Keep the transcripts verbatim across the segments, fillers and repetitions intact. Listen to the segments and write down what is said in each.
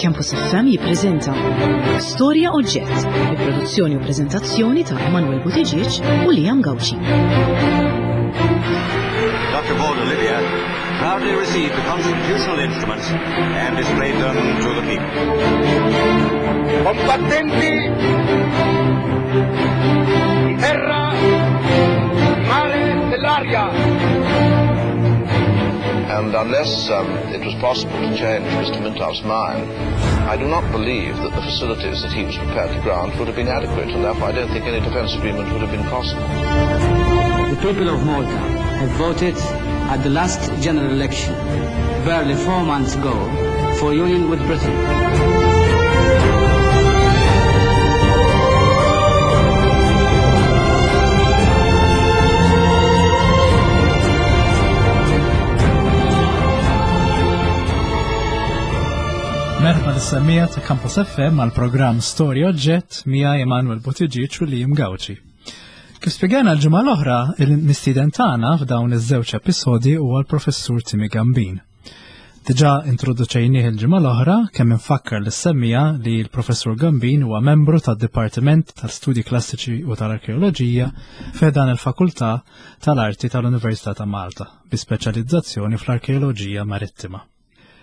Campus F M jippreżenta Storja Oġġett, bi produzzjoni u preżentazzjoni ta' Emanuel Buttigieg u Liam Gauci. Doctor Borg Olivia proudly received the constitutional instruments and displayed them to the people. Combattenti di terra, mare e dell'aria. And unless, um, it was possible to change Mister Mintoff's mind, I do not believe that the facilities that he was prepared to grant would have been adequate, and therefore I don't think any defence agreement would have been possible. The people of Malta have voted at the last general election, barely four months ago, for union with Britain. Merħba lis-semmija ta' Campus F M għal programm Storja Oġġett miegħi Emanuel Buttigieg u Liam Gauci. Kif spjegajna l-ġimgħa l-oħra, il-mistieden tagħna f'dawn iż-żewġ episodji huwa l-Professur Timmy Gambin. Diġà introduċejnieh il-ġimgħa l-oħra kemm infakkar lis-semmija li l-Professur Gambin huwa membru tad-Dipartiment tal-Studji Klassiċi u tal-Arkeoloġija f'dan il-Fakultà tal-Arti tal-Università ta' Malta bi speċjalizzazzjoni fl-Arkeoloġija Marittima.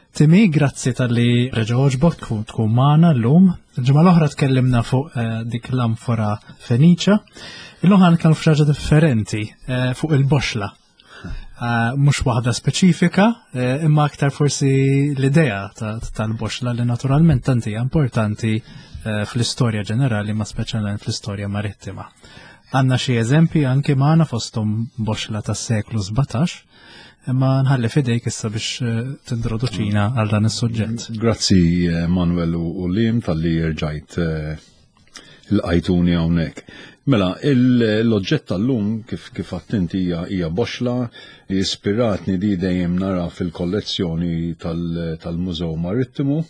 Timmy, grazzi tal-li reġa' għoġbok tkun, tkun magħna llum. Il-ġimgħa l-oħra tkellimna fuq, eh, dik l-amfora Feniċa. Illum ħa nitkellmu f'xi ħaġa differenti, eh, fuq il-boxla. Eh, mhux waħda speċifika, eh, imma aktar forsi l-idea ta-, tal-boxla li naturalment tant hija importanti, eh, fl-istorja ġenerali, ma speċjalment fl-istorja marittima. Għandna xi eżempji anki magħna fosthom boxla tas-seklu sbatax, imma nħalli fidejk issa biex, eh, tintroduċina għal dan is-suġġett. Grazzi, eh, Manuel u, u Liam tal-li rġajt, eh, l-qajtuni hawnhekk. Mela, il-, l-oġġett tal-lum kif, kif attinti hija, hija boxla li ispiratni di dejjem nara fil-kollezzjoni tal-, tal-Mużew Marittimu.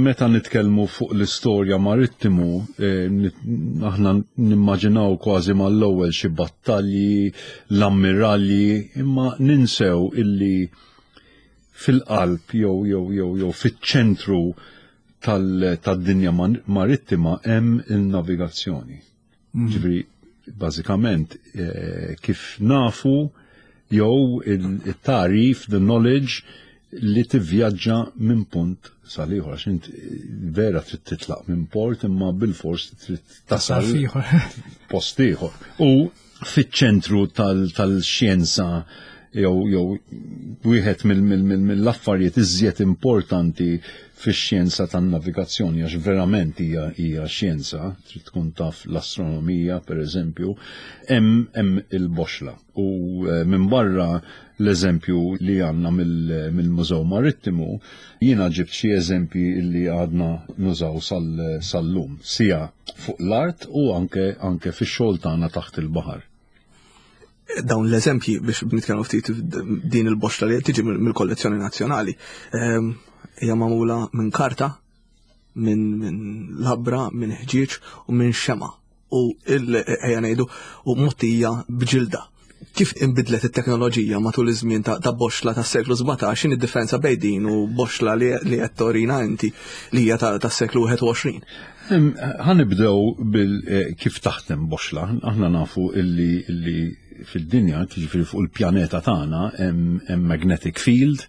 Meta nitkellmu fuq l-istorja marittimu, eh, nit-, aħna nimmaġinaw kważi mal-ewwel xi battalji, l-ammiralji, imma ninsew illi fil-qalb jew, jew, jew, jew fiċ-ċentru tal-, tad-dinja man-, marittima hemm il-navigazzjoni. Mhm. Ġifieri, bażikament, eh, kif nafu jew il-, il-tarif, the knowledge li tivvjaġġa minn punt sal ieħor, għax int vera trid titlaq minn port imma bil-fors trid tasal Tasal f'ieħor. post ieħor. U fiċ-ċentru tal-, tal-xjenza jew, jew wieħed mill-, mill-, mill-, mill-affarijiet iżjed importanti fix-xjenza tan-navigazzjoni, għax verament hija, hija xjenza, trid tkun taf l-astronomija pereżempju, hemm, hemm il-boxla. U, eh, minn barra l-eżempju li għandna mill-, mill-Mużew Marittimu, jiena ġibt xi eżempji li għadna nużaw sal-, sal-lum, sija fuq l-art u anke, anke fix-xogħol tagħna taħt il-baħar. Dawn l-eżempji biex nitkellmu ftit din il-boxla li tiġi mill-, mill-kollezzjoni nazzjonali, ehm, hija magħmula minn karta, minn, minn labra, minn ħġieġ u minn xema' u il-, ejja ngħidu, u mottija b'ġilda. Kif inbidlet it-teknoloġija matul iż-żmien ta', ta' boxla tas-seklu sbatax, x'inhi d-differenza bejn din u boxla li, li qed torina inti li hija ta', tas-seklu wieħed u għoxrin? Em, ħanibdew bil, eh, kif taħdem boxla. Aħna nafu illi, illi fid-dinja, jiġifieri fuq il-pjaneta tagħna, hemm, hemm magnetic field,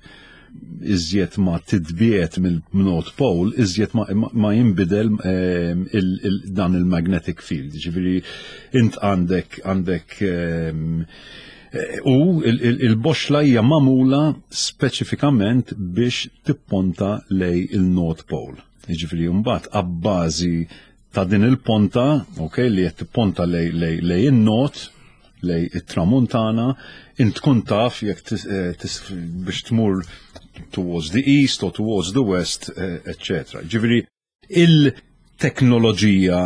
iżjed ma titbiet mill-North Pole, iżjed ma, ma, ma jinbidel, ehm, il, il, dan il-magnetic field. Ġifieri int għandek, għandek, ehm, eh, u il, il, il-boxla hija magħmula speċifikament biex tipponta lej il-North Pole. Ġifieri mbagħad abbażi ta' din il-ponta, ok, li qed tipponta lej, lej, lej in-North, lej it-Tramuntana, int tkun taf jekk tis-, eh, tis-, biex tmur towards the east or towards the west, eh, eccetera. Ġifieri, il-teknoloġija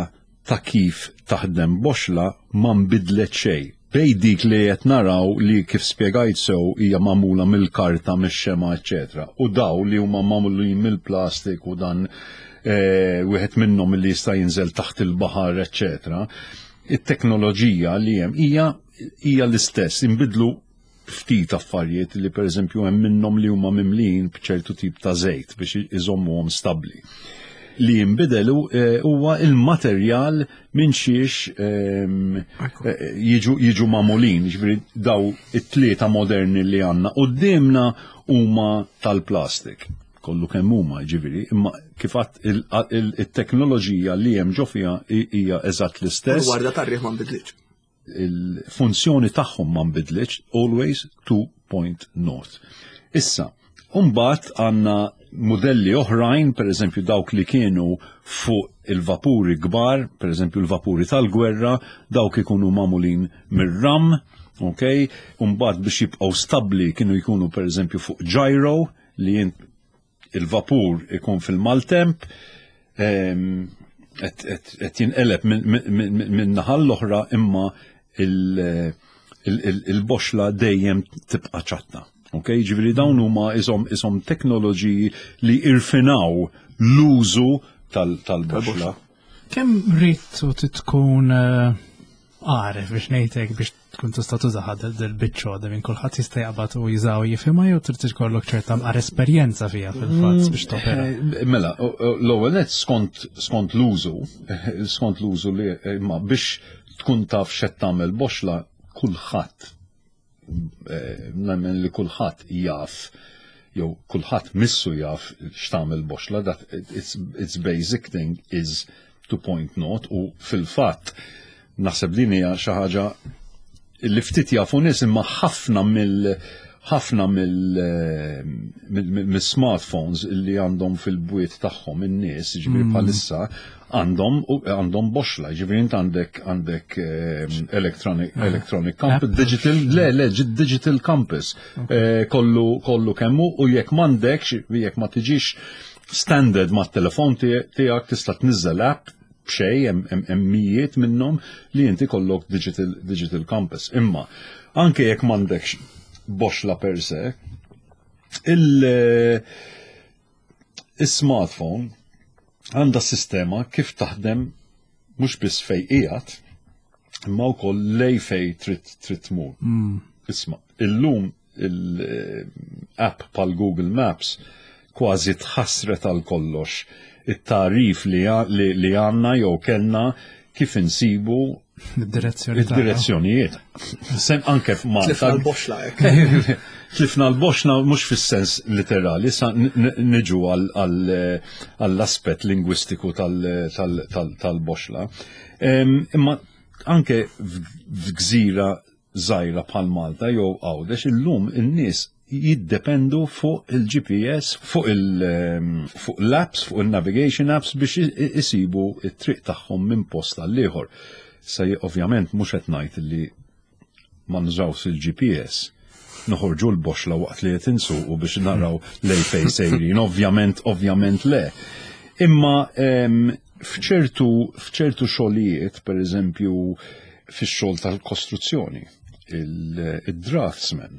ta' kif taħdem boxla ma nbidlet xejn. Bej dik li qed naraw li kif spjegajt sew hija magħmula mill-karta, mix-xema, eccetera. U daw li huma magħmulin mill-plastik u dan, eh, wieħed minnhom li jista' jinżel taħt il-baħar, eccetera. It-teknoloġija li hemm hija, hija l-istess, inbidlu Ftit affarijiet li, per eżempju, hemm minnhom li huma mimlin b'ċertu tip ta' żejt biex iżommuhom stabbli. Li jinbidelu eh, huwa il-materjal minn xiex ehm, eh, jiġu jiġu magħmulin, ġifieri daw it-tlieta moderni li għandna qudiemna huma tal-plastik. Kollu kemm huma, ġifieri, imma kif għadt, il-teknoloġija li hemm ġo fiha hija eżatt l-istess. Il-warda tar-riħ ma nbidlitx. Il-funzjoni tagħhom ma nbidlitx, always two point north. Issa, mbagħad għandna modelli oħrajn, per eżempju dawk li kienu fuq il-vapuri kbar, per eżempju il-vapuri tal-gwerra, dawk ikunu magħmulin mir-ram, ok? Mbagħad biex jibqgħu stabli kienu jkunu, per eżempju, fuq gyro, li jint il-vapur ikun fil-maltemp, qed jinqeleb minn naħa l-oħra, imma il-boxla dejjem tibqa' ċatta. Ok, ġifieri dawn huma isom isom teknoloġiji li irfinaw l-użu tal-boxla. Kemm rrid u tkun eh, għaref biex ngħidlek biex tkun tista' tużaha dil-biċċa minn kulħadd jista' jaqbad u jużaw jifhimha, jew trid ikollok ċerta mqar esperjenza fiha fil-fatt biex topera? Eh, mela, l-ewwel nett skont skont l-użu, skont l-użu li, imma biex tkun taf x'qed tagħmel boxla, kulħadd, eh, nemmen li kulħadd jaf jew kulħadd missu jaf x'tagħmel boxla, that it's, it's basic thing is to point north. U fil-fatt naħseb din hija xi ħaġa li ftit jafu nies, imma ħafna mill ħafna mill-smartphones li għandhom fil-bwiet tagħhom in-nies, ġifieri mm. bħalissa għandhom għandhom boxla, ġifieri int għandek għandek ehm, electronic ah. electronic compass, digital, le le digital compass eh, kollu kollu kemmu, u jekk m'għandekx, jekk ma tiġix standard mat-telefon tiegħek, tista' tniżżel app b'xejn, hemm mijiet minnhom li inti kollok digital digital compass. Imma anke jekk m'għandekx boxla per se, il- il-smartphone għandha sistema kif taħdem mhux biss fej qiegħed imma wkoll lej fej trid trid tmur. Mm. Isma', illum il-app bħal Google Maps kważi tħassret għal kollox it-tarif li, li għanna jew kellna kif insibu id-direzzjoni. Id-direzzjonijiet. Sem anke f'Malta. Tlifna l-boxla. Tlifna l-boxla mhux fis-sens literali, sa niġu għall-aspett lingwistiku tal-boxla. Imma anke f'gżira żgħira bħal Malta jew Għawdex, illum in-nies jiddependu fuq il-G P S, fuq il- fuq l-apps, fuq il-navigation apps biex isibu it-triq tagħhom minn post għal ieħor. Sa ovvjament mhux qed ngħid li ma nużawx il-G P S, noħorġu l-boxla waqt li qed insuqu biex naraw lej fej sejrin, ovvjament, ovvjament le. Imma f'ċertu f'ċertu xogħlijiet, per eżempju fix-xogħol tal-kostruzzjoni, il-draftsman,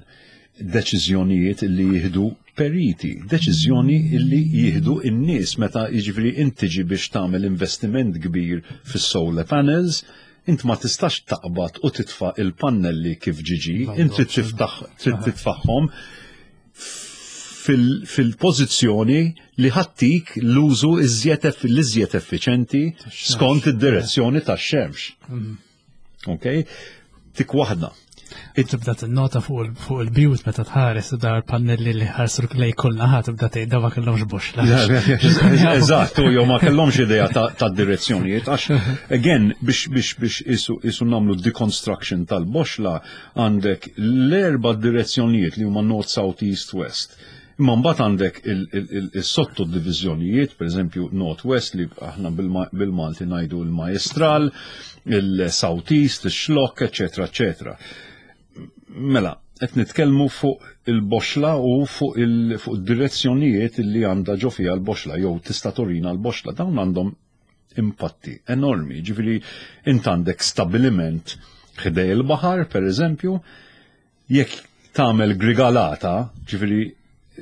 deċiżjonijiet li jieħdu periti, deċiżjoni li jieħdu n-nies meta, jiġifieri, inti biex tagħmel investiment kbir fis-solar panels, int ma tistax taqbad u titfa' il-pannelli kif ġiġi, int trid titfagħhom fil-pożizzjoni li ħa ttik l-użu l-iżjed effiċenti skont id-direzzjoni tax-xemx. Mm. Ok? Tik waħda. Tibda tinnota fuq il-bjut meta tħares dar pannelli li ħarsu lej kull naħa, tibda tgħid ma kellhomx boxla. Eżatt, u jew ma kellhomx idea ta' direzzjonijiet għax, again, biex biex biex isu isu nagħmlu deconstruction tal-boxla, għandek l-erba' direzzjonijiet li huma north, south, east, west. Imma mbagħad għandek il-sotto diviżjonijiet, per eżempju North West li aħna bil-Malti ngħidu il-Majestral, il-South East, il-Xlokk, eċetera, eċetera. Mela, qed nitkellmu fuq il-boxla u fuq il-direzzjonijiet li għandha ġo fiha l-boxla jew tista' turina l-boxla. Dawn għandhom impatti enormi. Ġifieri int għandek stabiliment ħdej il-baħar, per eżempju, jekk tagħmel grigalata, ġifieri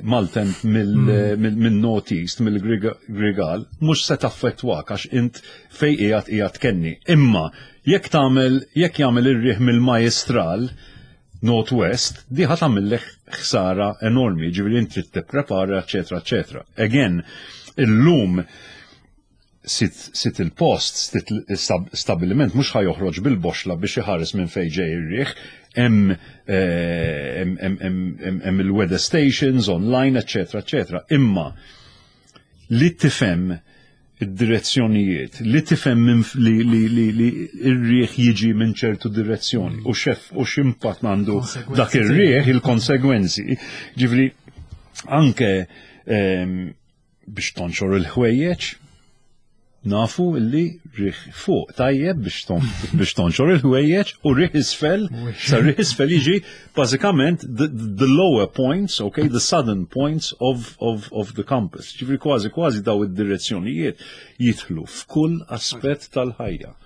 maltemp mill-North East, mill-Grigal, mhux se taffettwak għax int fej qiegħed qiegħed kenni. Imma jekk tagħmel jekk jagħmel ir-riħ mill-Majestral, Northwest, di ħa tagħmillek ħsara enormi, ġifieri inti trid tipprepara, eċetera, eċetera. Again, illum sit, sit il-post, sit il-stabiliment, mhux ħa joħroġ bil-boxla biex iħares minn fejn ġej ir-riħ, hemm eh, hemm il-weather stations online, eċetera, eċetera. Imma li tifhem id-direzzjonijiet, li tifhem li li li li ir-riħ jiġi minn ċertu direzzjoni u xef u x'impatt għandu dak ir-riħ, il-konsegwenzi. Ġifieri anke ehm, biex tonxor il-ħwejjeġ, nafu illi riħ fuq tajjeb biex tonxor il-ħwejjeġ u riħ isfel, sa riħ isfel jiġi bażikament the, the lower points, okay, the southern points of, of, of the compass. Ġifieri kważi kważi daw id-direzzjonijiet jidħlu f'kull aspett tal-ħajja.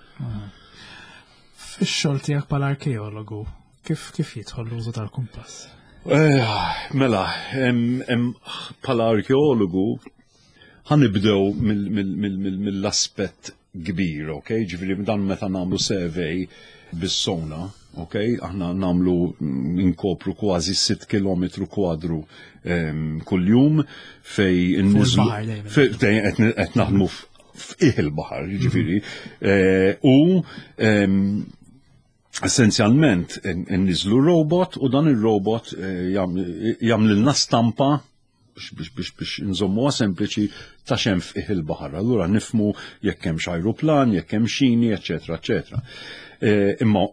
Fix-xogħol tiegħek bħala arkeologu, kif kif jidħol l-użu tal-kumpass? Eh, mela, bħala arkeologu ħa nibdew mill-aspett kbir, ok? Ġifieri dan meta nagħmlu survey bis-sonar, ok? Aħna nagħmlu inkopru kważi sitt kilometru kwadru kull-jum fej inniżlu qed naħdmu f'qiegħ il-baħar, ġifieri. Eh, u essenzjalment nniżlu robot u dan il-robot eh, jagħmlilna stampa biex biex biex biex nżommuha sempliċi ta' x'hemm f'qiegħ il-baħar. Allura nifhmu jekk hemm ajruplan, jekk hemm xini, eċetera, eċetera. E, imma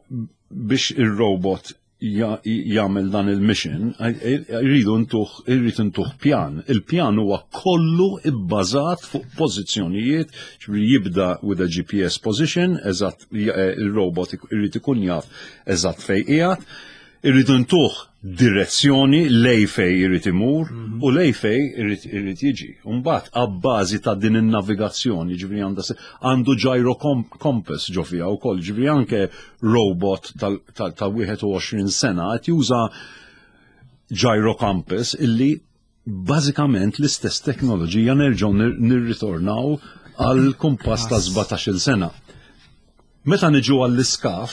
biex il-robot jagħmel dan il-mission, irridu ntuh irrid intuh pjan. Il-pjan huwa kollu ibbażat fuq pożizzjonijiet, ġifieri jibda with a G P S position, eżatt il-robot irrid ikun jaf eżatt fejn qiegħed, irridu ntuh direzzjoni lej fej irrid imur mhm. u lej fej irrid jiġi. Mbagħad abbażi ta' din in-navigazzjoni, ġifieri għandha għandu gyro compass ġo fiha wkoll, ġifieri anke robot ta' wieħed u għoxrin sena qed juża gyro compass illi bażikament l-istess teknoloġija, nerġgħu nirritornaw għal kumpass ta' sbatax-il sena. Meta niġu għall-iskav,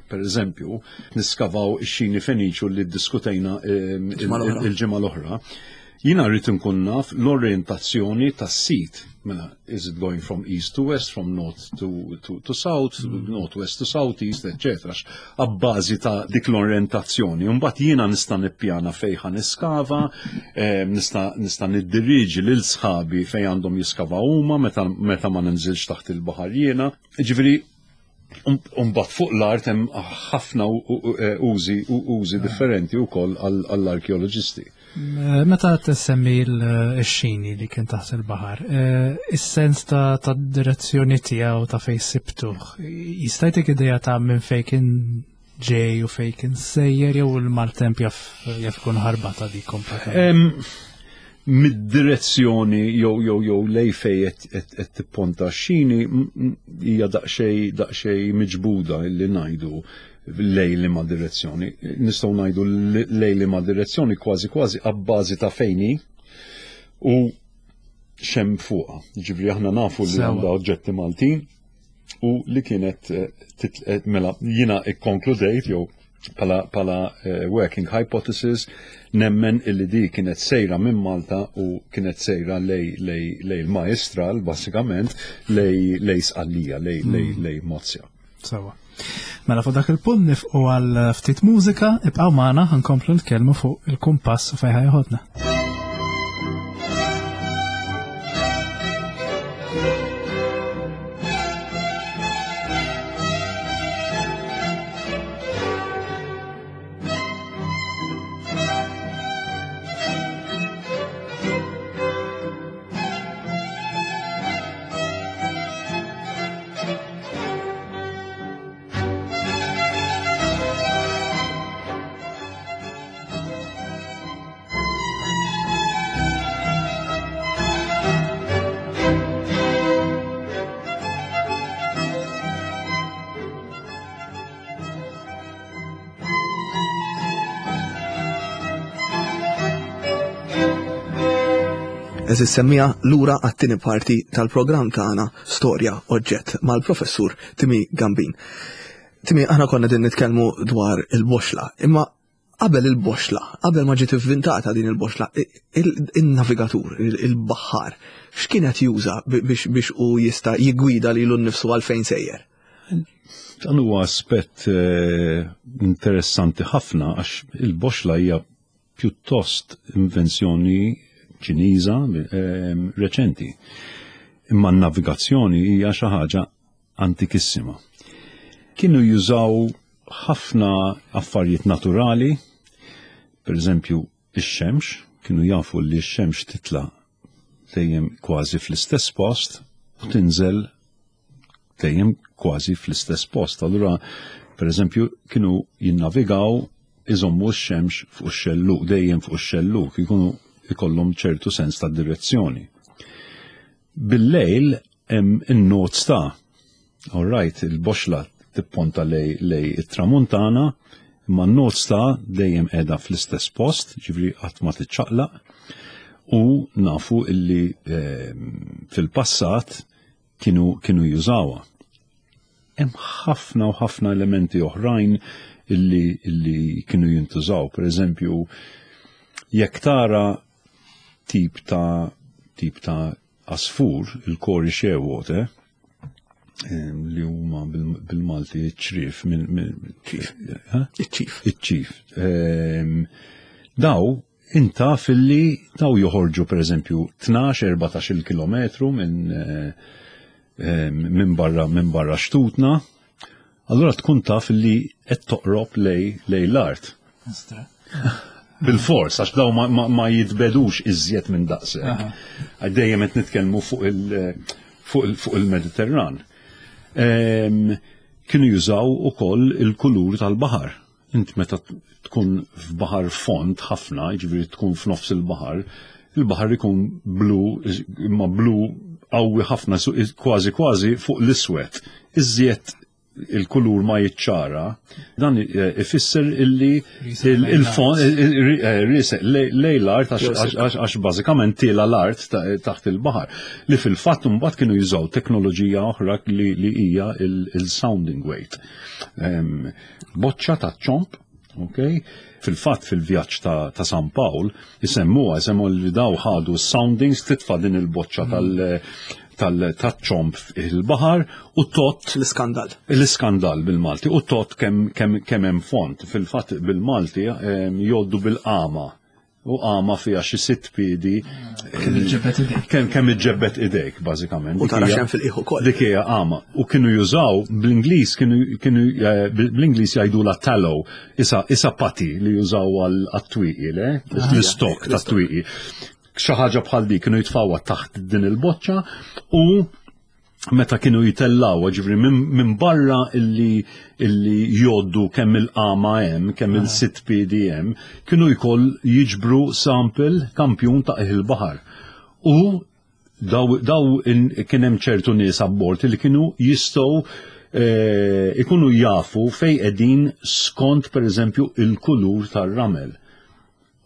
per eżempju, niskavaw ix-xini Feniċu li diskutejna il-ġimgħa l-oħra, jiena rrid nkun naf l-orientazzjoni tas-sit. Mela, is it going from east to west, from north to, to, to south, mm. north west to south east, et cetera. Abbażi ta' dik l-orientazzjoni. Mbagħad jiena nista' nippjana fejn ħa niskava, nista' nista' niddiriġi lil sħabi fejn għandhom jiskava huma meta, meta ma ninżilx taħt il-baħar jiena. Ġifieri, mbagħad fuq l-art hemm ħafna użi użi differenti wkoll għall-arkeoloġisti. Meta tissemmi l-xini li kien taħt il-baħar, is-sens ta' direzzjoni tiegħu ta' fej sibtuh, jista' jtik idea ta' minn fej kien ġej u fej kien sejjer jew il-maltemp jaf jaf ikun ħarbata di kompletament? Mid-direzzjoni jew jew jew lej fej qed tipponta xini hija daqsxejn daqsxejn miġbuda illi ngħidu lej li ma direzzjoni. Nistgħu ngħidu lej li ma direzzjoni kważi kważi abbażi ta' fejni u x'hemm fuqha. Ġifieri aħna nafu li għandha oġġetti Maltin u li kienet eh, mela jiena ikkonkludejt jew pala, pala uh, working hypothesis nemmen illi di kienet sejra minn Malta u kienet sejra lej, lej, lej il-Majestral, basikament, lej, lej Sqallija, lej, lej, mm. lej Mozia. Sawa. Mela fuq dak il-punt nieqfu għal ftit mużika, ibqgħu magħna, ħa nkomplu nitkellmu fuq il-kumpass u fejn ħa jeħodna. Għeżież semmiegħa, lura għat-tieni parti tal-programm tagħna Storja Oġġett mal-professur Timi Gambin. Timi, aħna konna din nitkellmu dwar il-boxla, imma Qabel il-boxla, qabel ma ġiet ivvintata din il-boxla, il-navigatur, il-baħħar, x'kien qed juża biex biex u jista' jiggwida lilu nnifsu għal fejn sejjer? Dan huwa aspett eh, interessanti ħafna għax il-boxla hija pjuttost invenzjoni Ċiniża eh, reċenti. Imma n-navigazzjoni hija xi ħaġa antikissima. Kienu jużaw ħafna affarijiet naturali, per eżempju ix-xemx, kienu jafu li x-xemx titla dejjem kważi fl-istess post u tinżel dejjem kważi fl-istess post. Allura, per eżempju, kienu jinnavigaw iżommu x-xemx fuq ix-xelluk, dejjem fuq ix-xelluk, ikunu ikollhom ċertu sens ta' direzzjoni. Bil-lejl hemm in-North Star. All right, il-boxla tipponta lej, lej it-tramuntana, imma n-North Star dejjem qiegħda fl-istess post, ġifieri qatt ma tiċċaqlaq, u nafu illi eh, fil-passat kienu, kienu jużawha. Hemm ħafna u ħafna elementi oħrajn illi, illi kienu jintużaw. Per eżempju, jekk tara tip ta' tip ta' asfur, il-Cory's Shearwater, li huma bil-Malti ċrif minn ċif. Iċ-ċif. Iċ-ċif. Daw inta filli daw joħorġu per eżempju tnax erbatax-il kilometru minn minn barra minn barra xtutna, allura tkun taf li qed toqrob lej lej l-art. Bil-fors, għax daw ma, ma, ma jitbegħdux iżjed minn daqshekk. Dejjem qed nitkellmu fuq il- fuq il- fuq il-Mediterran. Kienu jużaw ukoll il-kulur tal-baħar. Int meta tkun f'baħar fond ħafna, jiġifieri tkun f'nofs il-baħar, il-baħar ikun blu, imma blu qawwi ħafna, kważi kważi fuq l-iswed. Iżjed il-kulur ma jiċċara, dan ifisser illi il-fond riesaq lej l-art għax bażikament tiela l-art taħt il-baħar. Li fil-fatt mbagħad kienu jużaw teknoloġija oħra li hija il-sounding weight. Boċċa ta' ċomp, ok? Fil-fatt fil-vjaġġ ta', ta San Pawl jisemmuha, jisemmu li daw ħadu soundings, titfa' din il-boċċa tal- tal-ċomp il-baħar u tot. L-iskandal. L-iskandal bil-Malti u tot kemm kem, kem hemm fond. Fil-fatt bil-Malti jgħoddu bil-qama u qama fiha xi sitt piedi. Kemm iġġebbed idejk. Kemm kemm iġġebbed idejk bażikament. U tara xem fil-qiegħ ukoll. Dik hija qama. U kienu jużaw bl-Ingliż kienu kienu bl-Ingliż jgħidula tallow, isa isa putty li jużaw għal-twieqi, le? L-istok tat-twieqi. Xi ħaġa bħal dik kienu jitfawha taħt din il-boċċa u meta kienu jitellaw, ġifieri minn barra illi illi jgħoddu kemm il-qama hemm, kemm il-sitt piedi hemm, kienu jkoll jiġbru sample, kampjun ta' il-baħar. U daw, daw kien hemm ċertu nies abbord li kienu jistgħu eh, ikunu jafu fej qegħdin skont per eżempju il-kulur tar-ramel.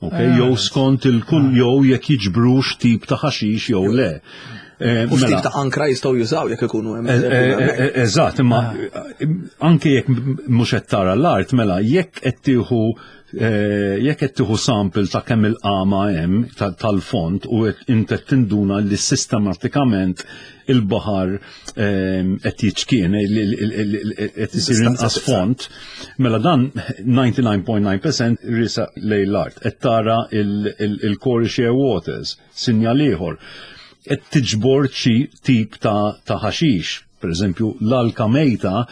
Ok, jew skont il-kull jew jekk jiġbrux tip ta' ħaxix jew le. Eh, U x'tip ta' ankra jistgħu jużaw jekk ikunu hemm. Eh, eżatt, imma anke jekk mhux qed tara l-art, mela jekk qed tieħu jekk qed tieħu sample ta' kemm il-qama hemm tal-fond u int qed tinduna li sistematikament il-baħar qed jiċkien, qed isir inqas fond, mela dan disgħa u disgħin punt disgħa fil-mija riesaq lejn l-art. Qed tara il-Cory Shearwaters, sinjal ieħor. Qed tiġbor xi tip ta' ħaxix, per eżempju l-alka mejta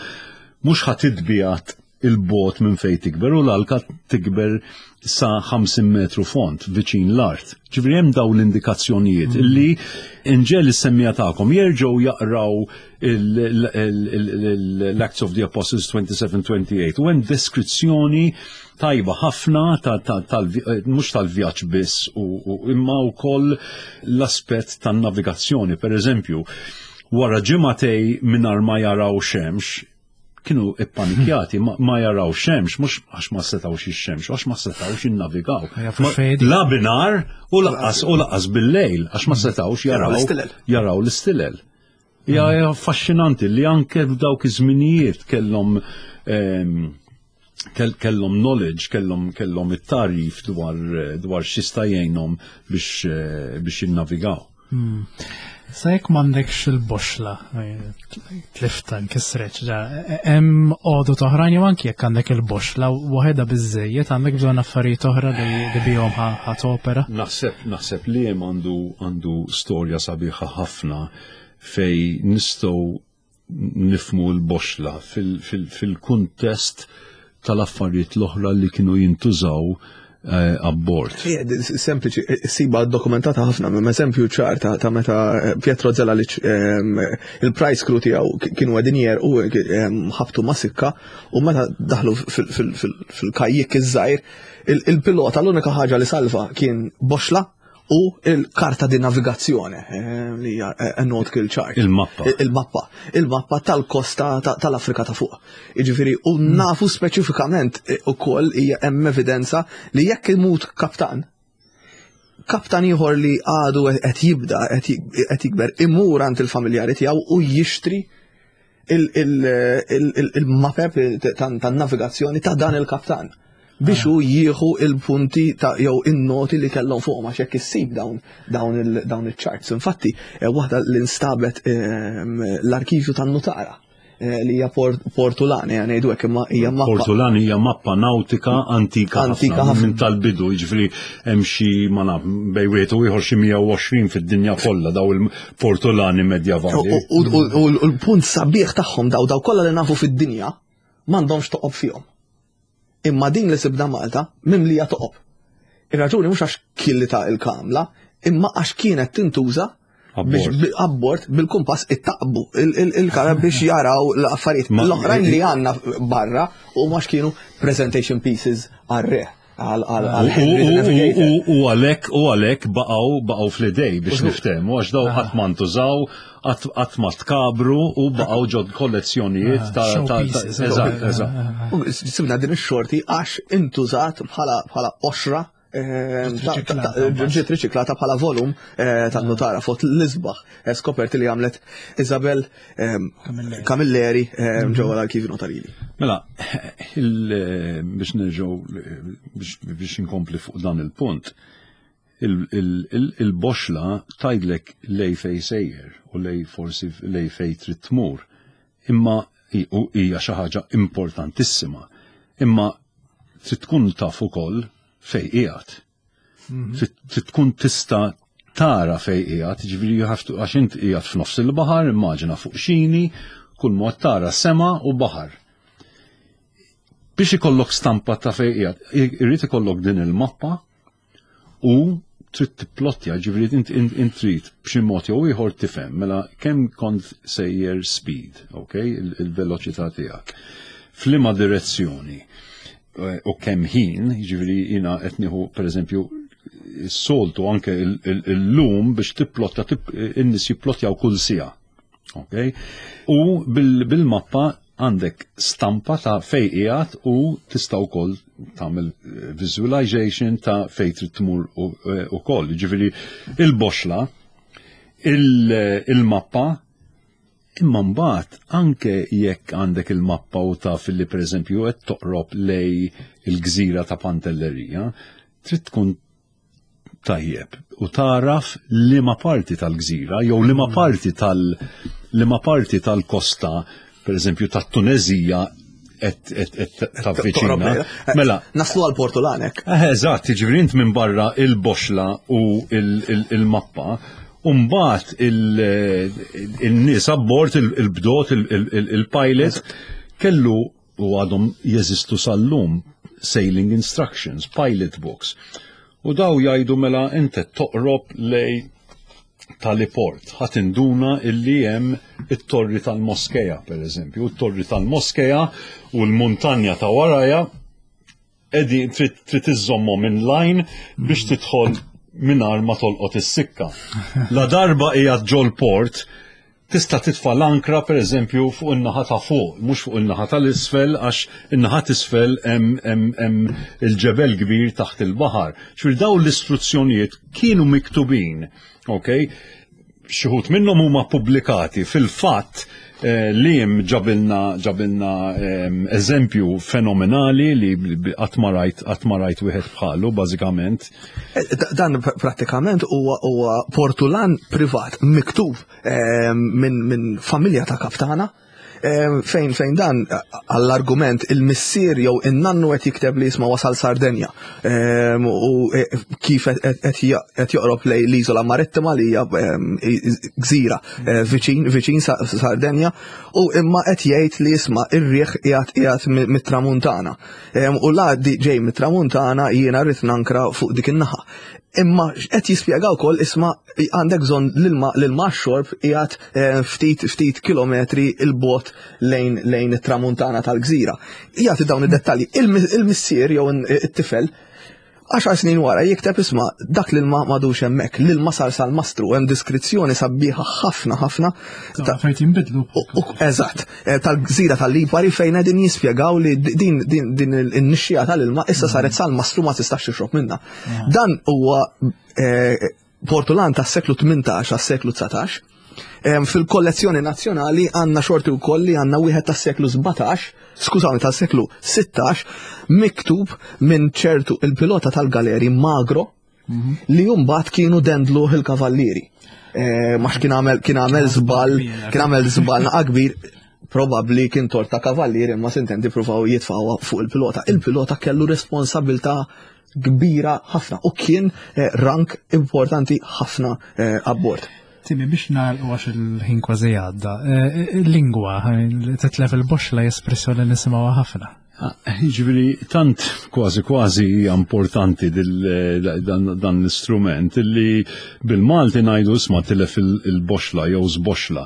mhux ħa titbiegħed 'il bogħod minn fej tikber u l-alka tikber sa ħamsin metru fond viċin l-art. Ġifieri hemm dawn l-indikazzjonijiet illi inġiegħel is-semmiegħa tagħkom jerġgħu jaqraw l-Acts of the Apostles twenty-seven twenty-eight u hemm deskrizzjoni tajba ħafna mhux tal-vjaġġ biss u imma wkoll l-aspett tan-navigazzjoni. Per eżempju, wara ġimagħtejn mingħajr ma jaraw xemx, kienu ippanikjati, ma, ma jaraw xemx, mhux għax ma setawx ix-xemx, għax ma setawx jinnavigaw. La binhar u lanqas u lanqas bil-lejl, għax ma setawx jaraw jaraw l-istilel. Ja, affaxxinanti li anke f'dawk iż-żminijiet kellhom Kellhom knowledge, kellhom kellhom it-tagħrif dwar dwar x'jista' jgħinhom biex biex jinnavigaw. Hmm. Sa jekk m'għandekx il-boxla, tlifta nkisret, hemm għodod oħrajn jew anki jekk għandek il-boxla waħedha biżejjed għandek bżonn affarijiet oħra li bihom ħa topera. Naħseb naħseb li hemm għandu għandu storja sabiħa ħafna fej nistgħu nifmu l-boxla fil-kuntest tal-affarijiet l-oħra li kienu jintużaw eh, abbord. Sempliċi, eh, siba dokumentata ħafna, minn eżempju ċar ta' meta eh, Pietro Zelalic il-prize crew tiegħu kienu qegħdin u ħabtu ma' sikka u meta daħlu fil-kajjik iż-żgħir, il-pilota l-unika ħaġa li salva kien boxla u il-karta di navigazzjoni eh, li hija eh, nautical chart. Il-mappa. Il-mappa. Il-mappa tal-kosta tal-Afrika ta' fuq. Jiġifieri, u hmm. nafu speċifikament eh, ukoll hija hemm evidenza li jekk imut kaptan, kaptan ieħor li għadu qed jibda qed jikber imur għand il-familjari tiegħu u jixtri il-mapep tan-navigazzjoni ta' dan il-kaptan biex hu jieħu il-punti ta' jew in-noti li kellhom fuqhom għax jekk issib dawn dawn dawn iċ-charts. Infatti, eh, waħda li nstabet ehm, l-arkivju tan-nutara eh, li hija Portulani, għan ngħidu hekk imma hija mappa. Portulani hija mappa nautika antika antika ħafna minn tal-bidu, jiġifieri hemm xi ma naf bejn wieħed u ieħor xi mija u għoxrin fid-dinja kollha daw il-Portulani medjavali. U l-punt sabiħ tagħhom daw daw kollha li nafu fid-dinja m'għandhomx toqob fihom. Imma din li sibna Malta mimlija toqob. Ir-raġuni mhux għax killita il-kamla, imma għax kienet tintuża biex abbord bil-kumpass ittaqbu il-kara biex jaraw l-affarijiet. L-oħrajn li għandna barra u mhux kienu presentation pieces għar-re. U għalek u għalek baqgħu baqgħu fl-idej biex niftehmu għax daw qatt ma ntużaw, qatt ma tkabru u baqgħu ġod kollezzjonijiet ah, ta' ta' eżatt, eżatt. U sibna din ix-xorti għax intużat bħala bħala qoxra eh, ġiet riċiklata bħala volum eh, tan-nutara fost l-isbaħ eh, skoperti li għamlet Isabel Camilleri ġewwa l-arkivju notarili. Mela, biex nerġgħu biex inkompli fuq dan il-punt, il-boxla tgħidlek lej fej sejjer u lej forsi lej fej trid tmur. Imma hija xi ħaġa importantissima. Imma trid tkun taf ukoll fej qiegħed. Mhm. Trid tkun tista' tara fej qiegħed, jiġifieri you have to, għax int qiegħed f'nofs il-baħar, immaġina fuq xini, kull mod tara sema u baħar. Biex ikollok stampa ta' fej qiegħed, irrid ikollok din il-mappa u trid tipplottja, ġifieri int int trid b'xi mod jew ieħor tifhem mela kemm kont sejjer speed, ok, il-veloċità tiegħek. F'liema direzzjoni eh, u kemm ħin, ġifieri jiena qed nieħu pereżempju s-soltu anke il-lum biex tipplotta in-nies jipplottjaw kull siegħa. Ok? U bil-mappa għandek stampa ta' fej qiegħed u tista' wkoll tagħmel eh, visualization ta' fej trid tmur eh, ukoll. Ġifieri il-boxla, il-mappa, imma mbagħad anke jekk għandek il-mappa u taf li pereżempju qed toqrob lej il-gżira ta' Pantellerija, trid tkun tajjeb u taraf liema parti tal-gżira jew liema mm. parti tal liema parti tal-kosta per eżempju tat-Tunezija qed tavviċina. Mela, naslu għal Portulanek. Eh, eżatt, jiġifieri int minn barra il-boxla u il-mappa u mbagħad il-nies abbord il-bdot il-pilot kellu u għadhom jeżistu sal-lum sailing instructions, pilot books. U daw jgħidu mela inti toqrob lej tal-port, ħa tinduna illi hemm it-torri tal-Moskeja, per eżempju, it-torri tal-Moskeja u l-muntanja ta' waraja edi trid iżżommhom in line biex tidħol mingħajr ma tolqot is-sikka. La darba qiegħed ġol port, tista' titfa' l-ankra per eżempju fuq in-naħa ta' fuq, mhux fuq in-naħa tal-isfel għax in-naħa t'isfel hemm il-ġebel kbir taħt il-baħar. Ġifieri dawn l-istruzzjonijiet kienu miktubin, ok? Xi wħud minnhom huma pubblikati fil-fatt Eh, Liam ġabilna ġabilna ehm, eżempju fenomenali li qatt ma rajt qatt ma rajt wieħed bħalu bażikament. Eh, dan prattikament huwa portulan privat miktub ehm, minn min familja ta' kaptana fejn fejn dan għall-argument il-missier jew in-nannu qed jikteb li jisma' wasal Sardenja u e, kif qed joqrob lej l-iżola marittima li hija gżira e, viċin viċin Sardenja u imma qed jgħid li jisma' ir-riħ qiegħed qiegħed mit-tramuntana. U la ġej mit-tramuntana jiena rrid nankra fuq dik in-naħa. Imma qed jispjega wkoll isma' għandek bżonn l-ilma l-ilma xorb qiegħed eh, ftit ftit kilometri 'il bogħod lejn lejn it-tramuntana tal-gżira. Jagħti dawn id-dettalji. Il-missier jew it-tifel għaxar snin wara jikteb isma' dak l-ilma m'għadux hemmhekk, l-ilma sar sal-mastru, hemm diskrizzjoni sabiħa ħafna ħafna. Fejn jinbidlu. Eżatt, eh, tal-gżira tal-Lipari fejn qegħdin jispjegaw li din din din in-nixxija tal-ilma issa saret sal-mastru ma tistax tixrob minnha. Dan huwa eh, portulan tas-seklu tmintax għas-seklu dsatax. Fil-kollezzjoni nazzjonali għandna xorti wkoll li għandna wieħed tas-seklu sbatax, skużawni, tas-seklu sittax, miktub minn ċertu il-pilota tal-galeri Magro li mbagħad kienu dendlu il-kavallieri. Eh, Max kien għamel kien għamel żball, kien għamel żball naqa kbir, probabbli kien torta kavallieri imma sintendi provaw jitfgħuha fuq il-pilota. Il-pilota kellu responsabilità kbira ħafna u kien eh, rank importanti ħafna eh, abbord. Timi, biex nagħlqu għax il-ħin kważi għadda, il-lingwa, titlef il-boxla espressjoni nisimgħuha ħafna. Ġifieri, tant kważi kważi hija importanti dan l-istrument li bil-Malti ngħidu isma' tilef il-boxla jew żboxla.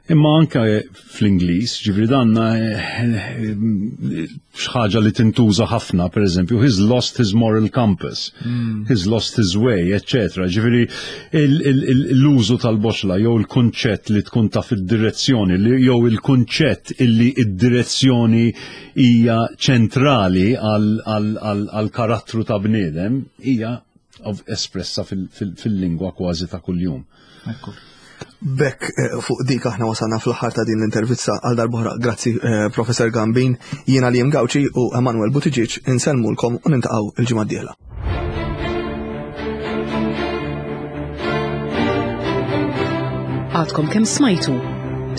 Imma anke fl-Ingliż, ġifieri dan xi ħaġa li tintuża ħafna, per eżempju, he's lost his moral compass, mm. he's lost his way, eccetera. Ġifieri l-użu tal-boxla jew il-kunċett li tkun taf id-direzzjoni, jew il-kunċett illi id-direzzjoni hija ċentrali għal-karattru ta' bniedem, hija espressa fil-lingwa kważi ta' kuljum. Ekku. Bekk eh, fuq dik aħna wasalna fl-aħħar ta' din l-intervista. Għal darb'oħra, grazzi eh, Professor Gambin, jiena Liam Gauci u Emanuel Buttigieg insellmulkom u niltaqgħu il-ġimgħa d-dieħla. Għadkom kemm smajtu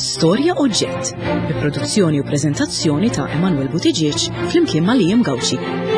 Storja Oġġett, bi produzzjoni u prezentazzjoni ta' Emanuel Buttigieg flimkien ma' Liam Gauci.